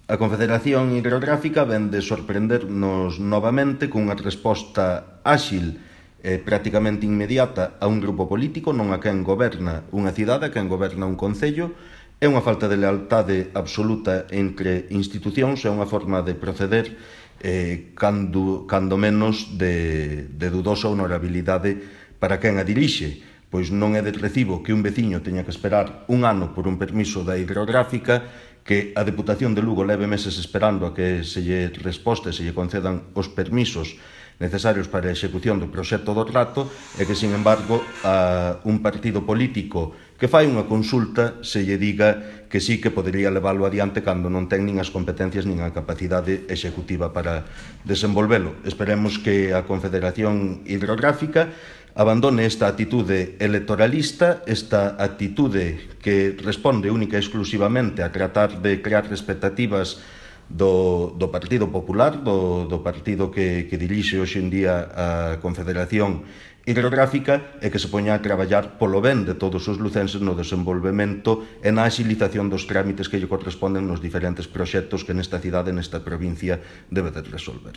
A Confederación Hidrográfica vén de sorprendernos novamente cunha resposta áxil e prácticamente inmediata a un grupo político, non a quen goberna unha cidade, a quen goberna un concello. É unha falta de lealtade absoluta entre institucións, é unha forma de proceder cando menos de dudosa honorabilidade para quen a dirixe, pois non é de recibo que un veciño teña que esperar un ano por un permiso da hidrográfica, que a Deputación de Lugo leve meses esperando a que se lle resposte, se lle concedan os permisos necesarios para a execución do proxecto do trato, e que, sin embargo, a un partido político que fai unha consulta se lle diga que sí que podería leválo adiante cando non ten nin as competencias nin a capacidade executiva para desenvolvelo. Esperemos que a Confederación Hidrográfica abandone esta actitude electoralista, esta actitude que responde única e exclusivamente a tratar de crear expectativas do Partido Popular, do partido que dirixe hoxe en día a Confederación Hidrográfica, e que se poña a traballar polo ben de todos os lucenses no desenvolvemento e na axilización dos trámites que lle corresponden nos diferentes proxectos que nesta cidade, nesta provincia, debe de resolver.